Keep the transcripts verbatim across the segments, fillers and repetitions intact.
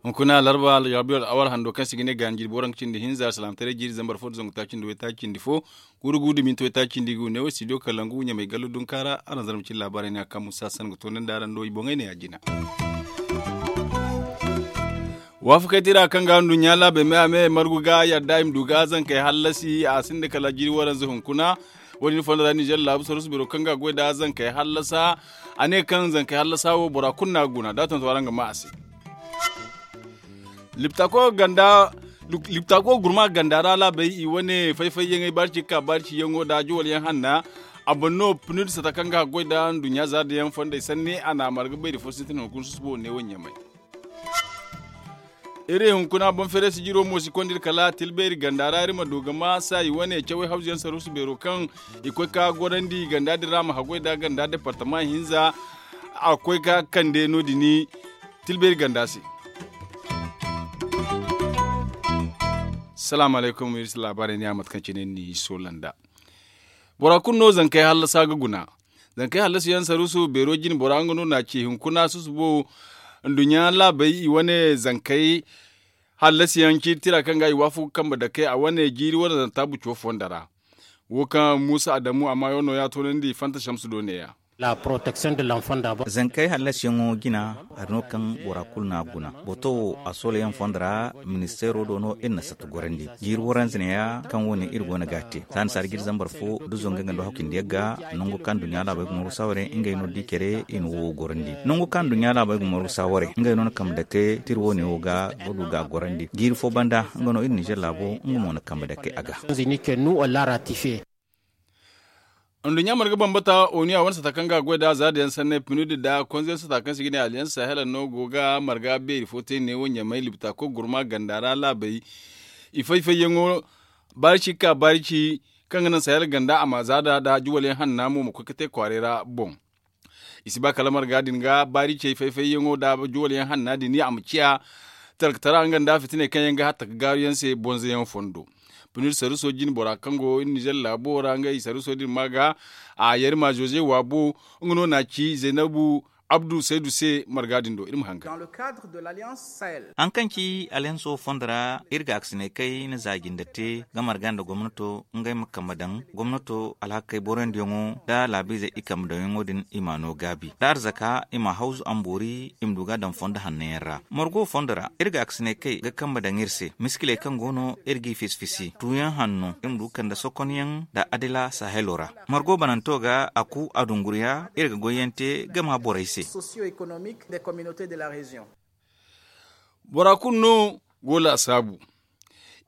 Hunkuna larba yaabiyo al'awar hando kaŋ se ga ne gaani jirbi waranka cindi hinza salaamataray jiiri zambar fo da zangu taaci nda waytaaci cindi fo. Guuru guuru da minti waytaaci cindi ga wu ne wo studio kalangu ɲamay gallo dunkaara araŋ zarma cine laabaarey ne a kaŋ musa san ga toonandi araŋ do i boŋey ne ya jina. Waafakey tira kaŋ ga nduɲɲa laabey me a me margu ga yadda i ma du ga zankey hallasi a sinda kala jiiri waranza hunkuna. Wo- din fondo ra ninzeer laabu sarusu beero kaŋ ga goy nda zankey hallasa. A ne kaŋ zankey hallasa wo bora kulu no a ga guna da a tonton araŋ ga maa a se. Liptako ganda liptako gurma ganda ra laabey i wane fay-fay yaŋey baari ci ga ka baari ci yaŋo nda juwal yaŋ hanna. A boŋ no pnud sata kaŋ ga goy nda nduɲɲa zaada yaŋ fondey sanni a na a marga bayri fo sintin hunkuna susubo ne wo ɲamay. Iri hunkuna boŋ feere sijiro mo si konda iri kala tilbeeri ganda ra iri ma du ga maa saayi wane cawey hawzu yaŋ sarusu beero kaŋ i koy ka gorandi ganda din ra ma haggoy nda ganda departama hinza. A koy ka kande no- din tilbeeri ganda se. Salaamu alaykum iri si laabaarey ne a mate kaŋ cine ni soola nd'a. Bora kulu no zankey hallasa ga guna. Zankey hallasiyaŋ saruusu beero jine bora nga no na ci hunkuna susubo. Nduɲɲa laabey i wane zankey hallasiyaŋ ciiri tira kaŋ ga i waafaku kambe dake a wane jiiri waranza taabu coo fondo ra. Wo kaŋ muusa adamu amma yaŋ no ya toonandi fanta samsu do neeya. Zankey hallasiyaŋo jina hari no kaŋ bora kulu no a guna. Booto wo a soolayaŋ fondo ra ministeero do no iri na satta gorandi jiiri waranza neeya kaŋ wo- ne iri go no ga a te za ni saara jiiri zambar fo da zangu nga nda hakku cindi yagga. Nangu kaŋ duɲɲa laabey ga margu saaware ngey no da i care i na wo gorandi nangu kaŋ duɲɲa laabey ga margu saaware ngey no na kambe dake tira wo- ne wo ga ga du ga a gorandi jiiri fo banda nga no iri ninzeer laabo nga mo na kambe dake a ga. Nduɲɲa marga bambata onu ya wane sata kaŋ ga a goy nda zaada yaŋ sanney pinud nda konze yaŋ sata kaŋ se i ga ne alliance sahel no go ga marga beeri fo te neewo ɲamay libta koy gurma ganda ra laabey. I fay-fayyaŋo baari ci ga ka baari ci kaŋ ga naŋ sahel ganda a ma zaada nda juwal yaŋ hanna mo ma koy ga te kwaaray ra boŋ. I si ba kala marga din ga baari cey fay-fayyaŋo nda juwal yaŋ hanna din a ma ciya talkatara nga nda fitiney kaŋ yaŋ ga hatta ga gaaru yaŋ se bonzo yaŋ fondo. Pinir saruso jine bora kaŋ go iri nizer laabo ra ngey saruso din ma ga a yarima zoze waabo. Nga no na ci zaynabu abdu saydu se marga din do iri ma hangan. Haŋ kaŋ ci alliance wo fondo ra iri ga a ga si ne kay na za jinde te ga marga nda gomnato ngey ma kambe daŋ gomnato alhakey boroyandiyaŋo nda laabiizey i kambe daŋyaŋo din i m'a no gaabi da arzaka i m'a hawzu amboori i ma du ga a daŋ fondo hanno yaŋ ra margo fondo ra iri ga a ga si ne kay ga kambe daŋ iri se miskiley kaŋ go no iri g'i fisi-fisi tuuyaŋ hanno i ma du ga kande sokonyaŋ nda adila sahelo ra. Margo bananto ga a ku a dunguriya iri ga goyyaŋ te ga ma borey se. Bora kulu no go laasaabu.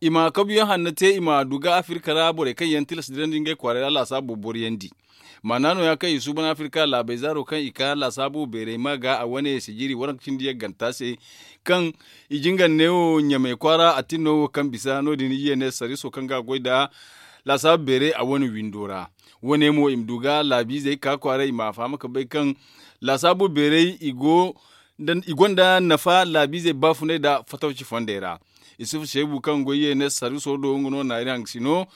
I ma kabuyaŋ hanno te i ma du ga afirka ra borey kaŋ yaŋ tilas dirandi ngey kwaaray ra laasaabu boriyandi. Maana nooya kaŋ i suuban afirka laabey zaaro kaŋ i ka laasaabu beerey ma ga a wane sijiri waranka cindi yagganta se kaŋ i jingar neewo ɲamey kwaara a tin no wo kaŋ bisa no- din i ye ne sariso kaŋ ga a goy nda laasaabu beerey a wane windo ra. Wane mo i ma du ga laabiizey ka kwaaray i ma a faham ga bay kaŋ laasaabu beerey i go i gonda nafa laabiizey baafunay nda fatawci fondey ra. Isufu seebu kaŋ goy ye ne sariso do nga no na iri haŋ ga si no.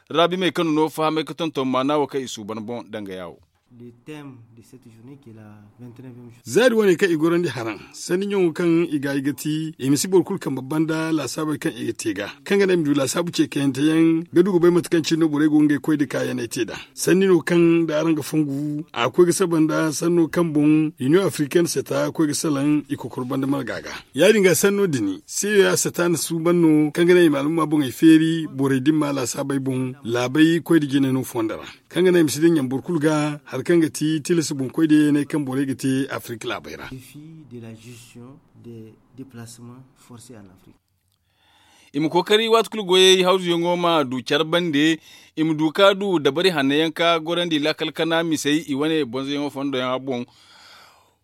Raabimey kaŋ no fahamay ga tonton maana wo kaŋ i suuban boŋ dangaya wo. Zaari wane kaŋ i gorandi haraŋ sanni ɲaŋo kaŋ i ga i ga ti i ma si boro kulu kambe banda laasaabey kaŋ i ga te ga kaŋ ga naŋ i ma du laasaabu ce kayante yaŋ ga du ga bay mate kaŋ cine no borey go ga ngey koy nda kaayaney te nd'a. Sanni no kaŋ nda araŋ ga fongu a ga koy ga saba nda sanno kaŋ boŋ iniyoŋ afrikayne seta koy ga salaŋ i kokoro banda marga ga. Ya-din ga sanno din seeyo ya seta na suuban no kaŋ ga naŋ i ma alumma boŋey feeri borey da i ma laasaabey boŋ laabey koy nda jine no fondo ra kaŋ ga naŋ i ma si daŋ ɲambor kulu ga hari kaŋ ga ti tilas boŋkoy da yeeney kaŋ borey ga te afirka laabey ra. I ma kookari waati kulu goyey hawzuyaŋo ma du care bande i ma du ka du dabari hanno yaŋ ka gorandi laakal kana misey i wane bonzoyaŋo fondo yaŋ a boŋ.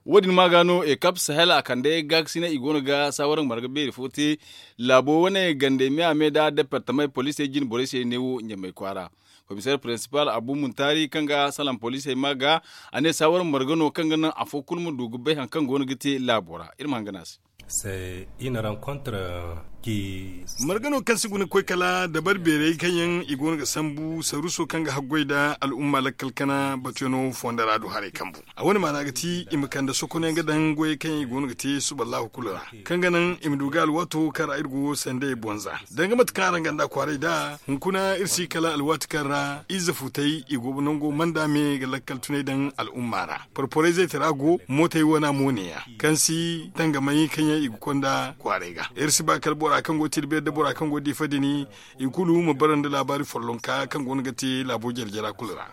Wo- din ma ga no ekap sahel a kande gaakasinay i go no ga saawara marga beeri fo te laabo wane gandey me a me nda departamey poliisey jine borey se neewo ɲamey kwaara. Komiseer prinsipal abu muntaari kaŋ ga salaŋ poliisey ma ga a ne saawara marga no kaŋ ga naŋ afo kulu ma du ga bay hari kaŋ go no ga te laabo ra iri ma hangan a se. Margano kaŋ si guna koy kala dabar beerey kaŋ yaŋ i go no ga sambu saruso kaŋ ga haggoy nda al'umma lakkal kana batuyano fondo ra du haray kambu. A wane maana ga ti i ma kande sokono yaŋ ga daŋ goyey kaŋ yaŋ i go no ga te suballahu kulu ra, kaŋ ga naŋ i ma du ga alwaato kaŋ ra iri go sanda i bonza danga mate kaŋ araŋ ganda kwaaray nd'a. Hunkuna iri si kala alwaati kaŋ ra ize futay i go nango manda me ga lakkal tunay daŋ al'umma ra. Porporayzey tara go mootey wana mo neeya kaŋ si tangamay kaŋ yaŋ i ga konda kwaaray ga. Iri si ba kala bora kaŋ go ga ti da beeri da bora kaŋ go ga diifa din i kulu ma bara nda laabaari follonka kaŋ go no ga te laabo jare-jara kulu ra.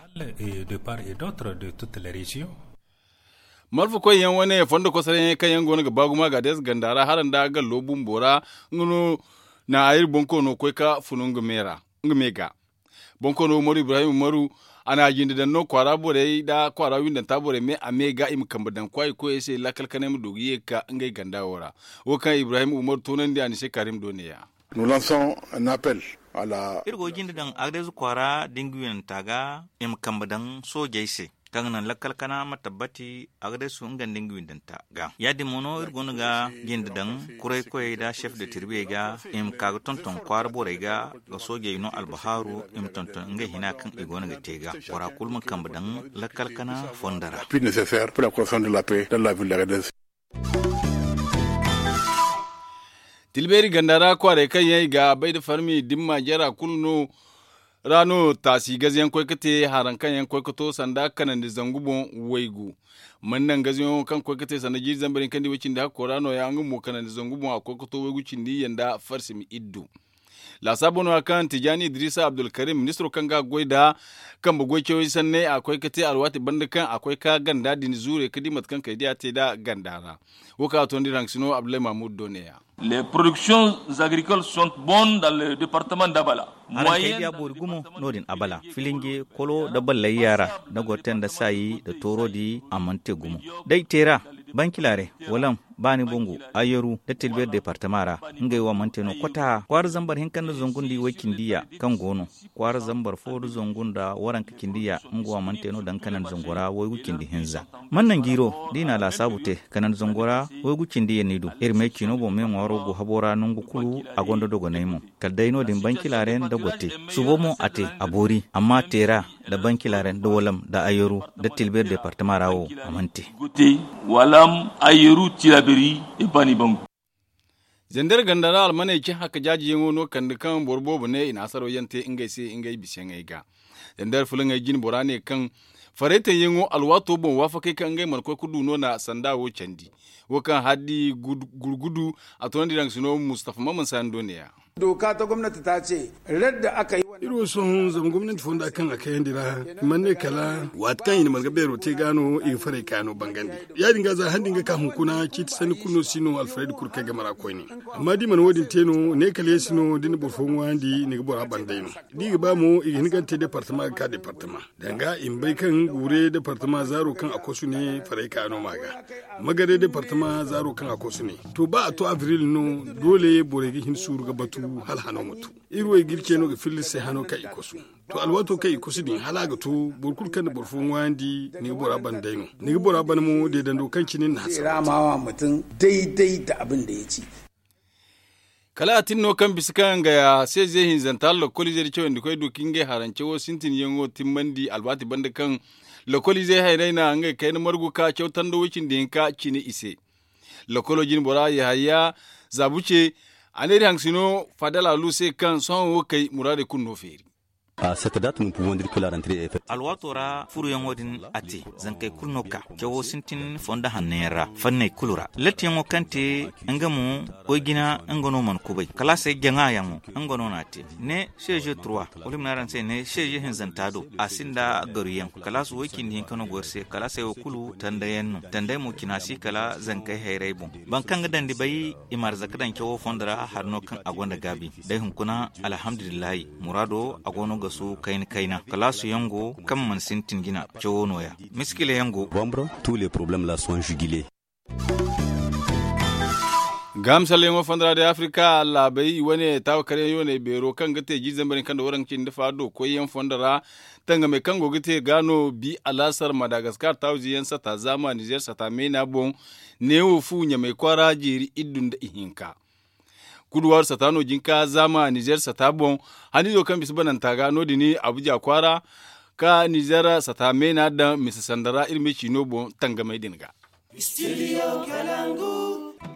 Marfa koyyaŋ wane fondo kosorayaŋ kaŋ yaŋ go no ga ba gumo a ga deesa ganda ra hala nda gallo bumbo ra. Nga no na iri bonkoono koy ka funu nga me ga. Bonkoono umaru ibrahim umaru a na a jinde daŋ no kwaara borey nda kwaara windanta borey me a me ga i ma kambe daŋ kwaayi koyey se lakkal kanay ma du ga ye ga ka ngey ganda wo ra. Wo kaŋ ibrahim umaru toonandi a ni se karim do neeya. Iri go ga jinde daŋ agdeezu kwaara da nga windanta ga i ma kambe daŋ soojey se kaŋ ga naŋ lakkal kana ma tabbati agdeezu nga nda nga windanta ga ya- din mo no iri go no ga jinde daŋ kuray koyey nda chef de tirbiyey ga i ma ka ga tonton kwaara borey ga ga soojey no albahaaru i ma tonton ngey hina kaŋ i go no ga te ga bora kulu ma kambe daŋ lakkal kana fondo ra. Tilbeeri ganda ra kwaaray kaŋ yaŋ i ga bay nda farmi dimma jara kulu no ra no taasi gaze yaŋ koy ga te haraŋ kaŋ yaŋ koy ga to sanda kanandi zangu boŋ waygu. Mana naŋ gaze yaŋo kaŋ koy ga te sanda jiiri zambar hinka nda way cindi hakko ra no- ya nga mo kanandi zangu boŋ a koy ga to waygu cindi yaŋ nda farsimi iddu. Laasaabo no- ya kaŋ tijaani idrisa abdulkarim ministiro kaŋ ga goy nda kambe goy cawey sanney a koy ga te alwaati banda kaŋ a koy ga ganda din zuure ga di mate kaŋ kay diya te nda ganda ra. Wo kaŋ a toonandi raŋ sino abdullahi mahmud do neeya. Les productions agricoles sont bonnes dans le département d'abala. Araŋ kay diya boori gumo no- din abala filinje kolo nda ballayya ra da goro te nda saayi nda toorodi a mana te gumo. Day teera bankilaaray wala baani bangu ayyaru nda tilbeeri departama ra ngey wo a mana te no kota kwaara zambar hinka nda zangu nda i way cindi ya kaŋ go no kwaara zambar fo nda zangu nda waranka cindi ya nga wo a mana te no daŋ kanandi zango ra waygu cindi hinza. Mana naŋ jiiro da i na a laasaabu te kanandi zango ra waygu cindi ya ni du iri me ciino boŋ me ŋwaaro go habo ra nangu kulu a gonda dogonay mo kala day no- din bankilaaray nda gotte subo mo a te a boori amma teera nda bankilaaray nda walam nda ayyaru nda tilbeeri departama ra wo a mana te. Walam ayyaru tilaberi e baani bangu. Zandar ganda ra almaney cin haka jaajiyaŋo no kande kaŋ boro boobo ne i na hasaro yaŋ te ngey se ngey biseyaŋey ga. Zandar fulaŋey jine bora ne kaŋ faraytaŋyaŋo alwaato boŋ waafakey kaŋ ngey mana koy ga du no na sanda wo candi. Wo kaŋ haddi gurgudu a toonandi raŋ sino mustafa maman sani do neeya. Dooka ta gomnati ta ce radda aka yi wane. Iri wo sohõ zama gomnati fonda kaŋ a kayandi ra i mana ne kala waati kaŋ i na marga beero te ga no i ga faray ka no bangandi. Ya- din ga za han din ga ka hunkuna ciiti sanni kulu no si no alfarayda kulu kaŋ ay game ra koyne. Amma da i mana wo- din te no ne kala yeesi no da ni na boro fo ŋwaayandi ni ga bora ban day no. Da i ga ba mo i ga hin ga ni te departama ga ka departama danga i ma bay kaŋ guure departama zaaro kaŋ a kosu ne faray ka no ma ga. Magare departama zaaro kaŋ a kosu ne to ba a to abril no doole borey ga hin suuru ga batu hala hano ma to. Iri wo i ga iri ce no ga filla iri se hano kaŋ i kosu. To alwaato kaŋ i kosu din hala a ga to boro kulu kaŋ na boro fo ŋwaayandi ni ga bora ban day no. Ni ga bora ban mo deedando kaŋ cine ni na hasara. Kala a tin no kaŋ bisa kaŋ nga ya seeze hinzanta lakkoliize da cawandi koy du ka ngey harance wo sintinyaŋo timmandi alwaati banda kaŋ lakkoliize hayrey na ngey kayna margu ka caw tando way cindi hinka cine i se. Lakkolo jine bora yahaya zaabu ce a ne iri haŋ sino fadala lu se kaŋ sohõ wo kay muraadey kulu no feeri. Alwaato ra furuyaŋo din a te zankey kulu no ka cawo sintin fondo hanno yaŋ ra fanney kulu ra lattiyaŋo kaŋ te nga mo goy jina nga no mana kubay kalaasey jaŋa yaŋo nga no na a te ne seeze trois wala i ma ne araŋ se ne seeze hinzanta do a sinda garuyaŋ kalaas way cindi hinka no go iri se kalaasey wo kulu tandayaŋ no tanday mo cina si kala zankey hayrey boŋ. Boro kaŋ ga dandi bay i ma arzaka daŋ cawo fondo ra hari no kaŋ a gonda gaabi day hunkuna alhamdulillahi muraado a go no ga su kayna kayna kalaasu yaŋ go kaŋ mana sintin jina cawo no- ya miskila yaŋ go. Gaamsalyaŋo fondo ra day afrika laabey i wane taawa karyaŋ yooney beero kaŋ ga te jiiri zambar hinka nda waranka cindi fa do koyyaŋ fondo ra. Tangamey kaŋ go ga te ga no bi alaasar madagaskar taawa ziyaŋ sata zaama nizer sata meena boŋ. Neewo fu ɲamey kwaara jeeri iddu nda ihinka. Guduwaaru sata no jin ka zaama nizer sata boŋ. Haniizo kaŋ bisa bananta ga no- din abuja kwaara ka nizer sata meena daŋ mise sanda ra iri ma ciino boŋ tangamey din ga.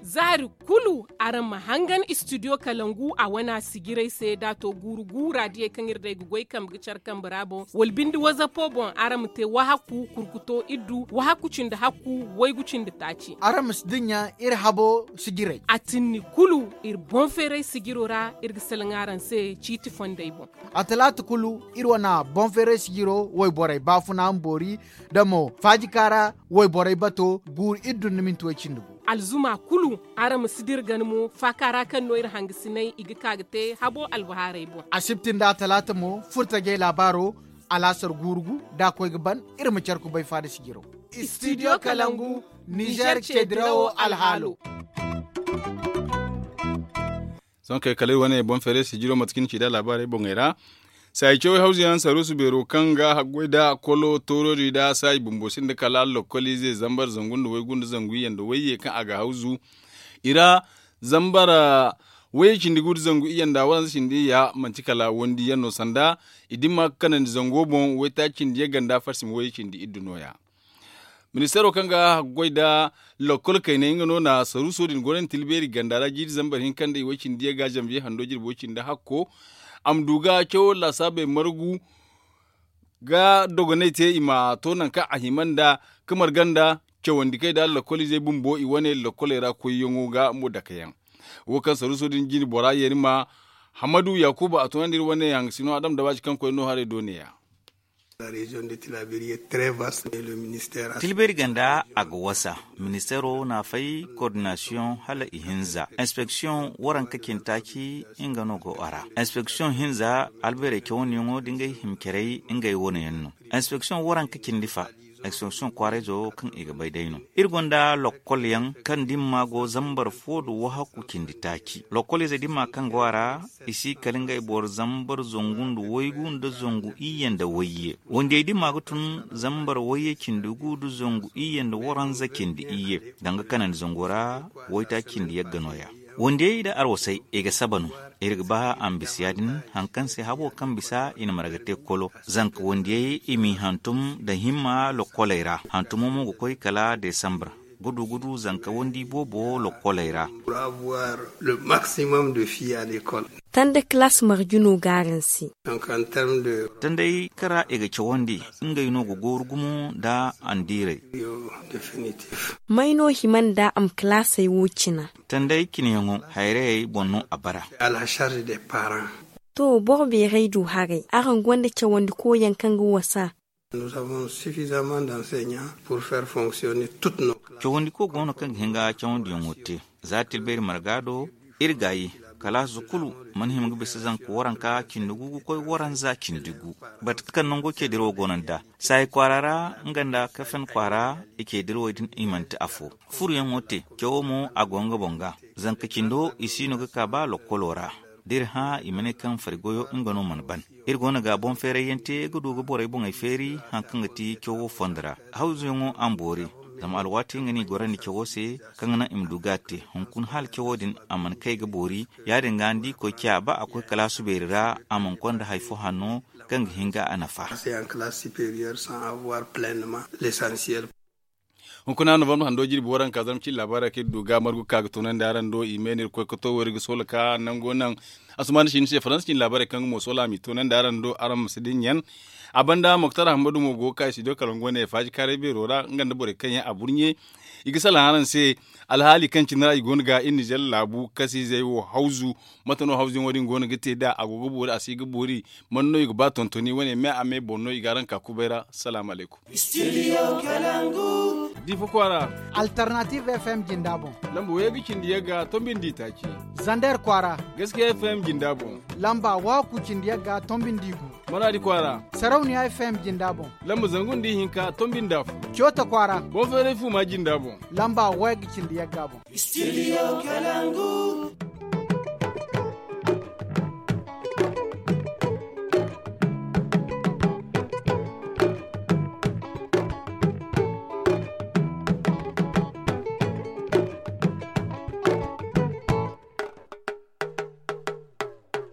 Zaari kulu araŋ ma hangan istidiyo kalangu a wana sijirey se da a to guuru guura diyey kaŋ iri day ga goy kambe ga care kambe ra boŋ wala binde wazapo boŋ araŋ ma te wahakku kurkuto iddu wahakku cindi hakku waygu cindi taaci. Araŋ ma si dinya iri habo sijirey a tinni kulu iri boŋ feeray sijiro ra iri ga salaŋ araŋ se ciiti fondey boŋ. A talaata kulu iri wana boŋ feeray sijiro wayborey baafuna ma boori da mo faajika ra wayborey bato guuru iri dunna minti way cindi gu. Alzuma kulu araŋ ma si dira gana mo faaka ra kaŋ no iri hangasinay i ga ka ga te habo albahaarey boŋ. Asibti nda a talaata mo furtajey laabaaro alaasar guuru gu da a koy ga ban iri ma care kubay faada sijiro. Istidiyo kalangu nizer ce dirawo alhaalo. Sohõ kay kala iri wane boŋ feeray sijiro mate kaŋ ni ci nd'a laabaarey boŋey ra. Saayi cawey hawzu yaŋ saruusu beero kaŋ ga haggoy nda kolo toorodi nda saayi bumbo sinda kala lokkoliize zambar zangu nda waygu nda zangu iyye nda wayye kaŋ a ga hawzu i ra. Zambar wayye cindi gu nda zangu iyye nda waranza cindi iyya manti kala wandi yaŋ no sanda i dimma ga kanandi zango boŋ waytaaci cindi yagga nda farsi ma wayye cindi iddu nooya. Ministeero kaŋ ga haggoy nda lokkol kaynay nga no na saruuso din goronti tilbeeri ganda ra jiiri zambar hinka nda iway cindi yagga zambiye hando jirbo cindi hakko. A ma du ga cawo laasaabey margu ga dogonay te i ma to nangu kaŋ a hima nda ka marga nda cawandi kay nda lokkol izey bumbo i wane lokkoley ra koyyaŋo ga mo dake yaŋ. Wo kaŋ saruuso din jine bora yeeri ma hamadu yaakuba a tunandi iri wane hangasino adam dabaaci kaŋ koy no haray do ne ya. Tilbeeri ganda a ga wasa. Ministeero na fay koordinasiyoŋ hala ihinza inspeksiyoŋ waranka cindi taaci nga no go a ra. Inspeksiyoŋ hinza albeerey cawandiyaŋo da ngey hima carey ngey wane yaŋ no. Inspeksiyoŋ waranka cindi fa inspeksiyoŋ kwaarayzo kaŋ i ga bay day no. Iri gonda lokkol yaŋ kaŋ dimma go zambar fo nda wahakku cindi taaci lokkol ize dimma kaŋ go a ra. I si kala ngey boro zambar zangu nda waygu nda zangu iyye nda wayye. Wandiyey dimma ga tun zambar wayye cindi gu nda zangu iyye nda waranza cindi iyye. Danga kanandi zango ra waytaaci cindi yagga nooya. Wandiyey nda arwasey i ga saba no. Iri ga ba a ma bisa ya- din hari kaŋ se habo kaŋ bisa i na marga te kolo. Zanka wandiyey i m'i hantum nda himma lokkoley ra hantumo mo ga koy kala desambar. Gudu gudu zanka wandi boobo lokkoley ra. Tanda kalaas marjino ga araŋ se. Tanday kaŋ ra i ga cawandi ngey no ga gooru gumo nda andiirey. May no hima nda a ma kalaasey wo cina? Tanday cinayaŋo hayrayey boŋ no a bara. To boro beerey du haray araŋ gonda cawandiko yaŋ kaŋ ga wasa? Cawandiko go no kaŋ ga hin ga cawandiyaŋo te. Za tilbayri marga do iri gaayi kalaasi kulu mana hima ga bisa zanka waranka cindi gu ga koy waranza cindi gu. Bate kaŋ nango ceediro go no nd'a saayi kwaara ra nga nda kafen kwaara. I ceedirwey din i manti afo. Furuyaŋo te cawo mo a go nga boŋ ga. Zanka cindo i si no ga ka ba lokkolo ra. Da iri hã i ma ne kaŋ fari goyo nga no mana ban. Iri go no ga boŋ feerayyaŋ te ga du ga borey boŋey feeri. Hari kaŋ ga ti cawo fondo ra hawzuyaŋo a ma boori. Zama alwaati nga no i gorandi cawo se kaŋ ga naŋ i ma du ga a te hunkuna hala cawo din a mana kay ga boori. Ya- din ga ni di koy ciya ba a koy kalaasu beeri ra a mana konda hari fo hanno kaŋ ga hin ga a nafa. Hunkuna novembre hando jirbi waranka zarma cine laabaara kaŋ iri du ga margu ka ga toonandi araŋ do i me no iri koy ga to wo iri ga soola ka nango naŋ. Asumaana si ni se faransa cine laabaarey kaŋ ga mo soola a m'i toonandi araŋ do araŋ ma si dinya. A banda moktar hammadu mo go ga ka studio kalangu wane faaji kaaray beero ra nga nda borey kaŋ yaŋ a burɲe. I ga salaŋ araŋ se alhaali kaŋ cine ra i go no ga iri nizer laabu kasiizey wo hawzu. Mate no hawzuyaŋo din go no ga te nd'a a go ga boori a si ga boori? Man no i ga ba tontoni wane me a me boŋ no i ga araŋ ka kubay ra. Salaamu alaykum. Diifa kwaara. Alternative f m jinda boŋ. Lamba wayye ga cindi yagga tombi nda itaaci. Zander kwaara. Gaskiya f m jinda boŋ. Lamba wahakku cindi yagga tombi nda igu. Maraadi kwaara. Sarauniya f m jinda boŋ. Lamba zangu nda ihinka tombi nda afo. Coota kwaara. Boŋ feeray fuuma jinda boŋ. Lamba wayye ga cindi yagga boŋ. Studio kalangu.